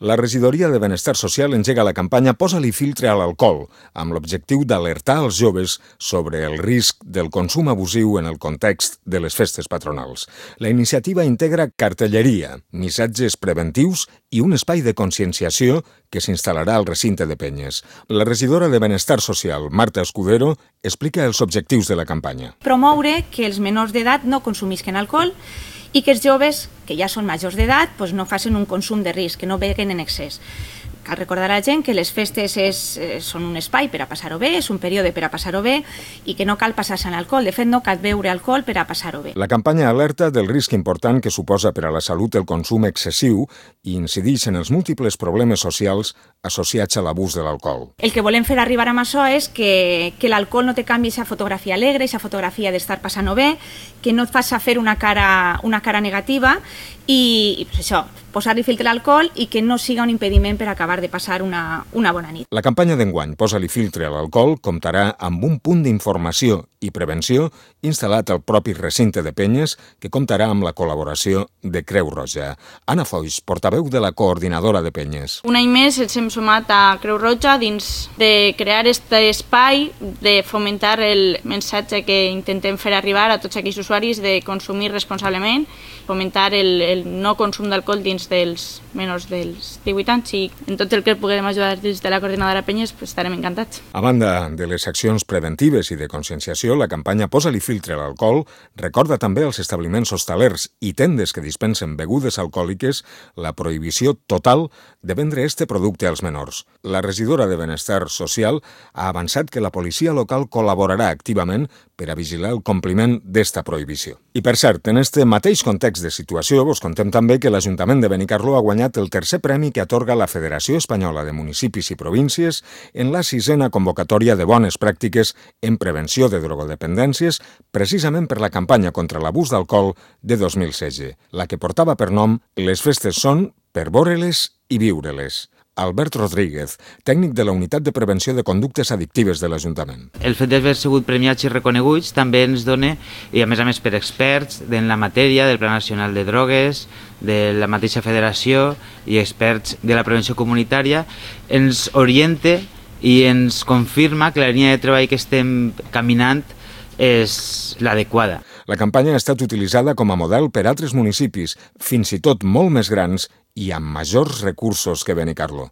La Regidoria de Benestar Social engega la campanya Posa-li filtre a l'alcohol, amb l'objectiu d'alertar els joves sobre el risc del consum abusiu en el context de les festes patronals. La iniciativa integra cartelleria, missatges preventius i un espai de conscienciació que s'instal·larà al recinte de Penyes. La regidora de Benestar Social, Marta Escudero, explica els objectius de la campanya. Promoure que els menors d'edat no consumisquen alcohol i que els joves, que ja són majors d'edat, no facin un consum de risc, que no beguen en excés. Cal recordar a la gent que les festes són un espai per a passar-ho bé, és un període per a passar-ho bé i que no cal passar-se en alcohol. De fet, no cal beure alcohol per a passar-ho bé. La campanya alerta del risc important que suposa per a la salut el consum excessiu i incideix en els múltiples problemes socials associats a l'abús de l'alcohol. El que volem fer arribar amb això és que l'alcohol no te canvi aquesta fotografia alegre, aquesta fotografia d'estar passant-ho bé, que no et faci fer una cara negativa i això, posar-li filtre a l'alcohol i que no siga un impediment per acabar de passar una bona nit. La campanya d'enguany Posa-li filtre a l'alcohol comptarà amb un punt d'informació i prevenció instal·lat al propi recinte de Penyes que comptarà amb la col·laboració de Creu Roja. Anna Foix, portaveu de la coordinadora de Penyes. Un any més ens hem sumat a Creu Roja dins de crear aquest espai, de fomentar el missatge que intentem fer arribar a tots aquells usuaris de consumir responsablement, fomentar el no consum d'alcohol dins dels menors dels 18 anys i en tot el que puguem ajudar des de la coordinadora Penyes estarem encantats. A banda de les accions preventives i de conscienciació, la campanya Posa-li filtre a l'alcohol recorda també als establiments hostalers i tendes que dispensen begudes alcohòliques la prohibició total de vendre este producte als menors. La regidora de Benestar Social ha avançat que la policia local col·laborarà activament per a vigilar el compliment d'esta prohibició. I per cert, en este mateix context de situació, vos contem també que l'Ajuntament de Benicarló ha guanyat el tercer premi que atorga la Federació Espanyola de Municipis i Províncies en la 6a convocatòria de bones pràctiques en prevenció de drogodependències, precisament per la campanya contra l'abús d'alcohol de 2016, la que portava per nom Les festes són per veure-les i viure-les. Albert Rodríguez, tècnic de la Unitat de Prevenció de Conductes Addictives de l'Ajuntament. El fet d'haver sigut premiats i reconeguts també ens dona, i a més per experts en la matèria del Pla Nacional de Drogues, de la mateixa federació i experts de la prevenció comunitària, ens orienta i ens confirma que la línia de treball que estem caminant és l'adequada. La campanya ha estat utilitzada com a model per altres municipis, fins i tot molt més grans i amb majors recursos que Benicarló.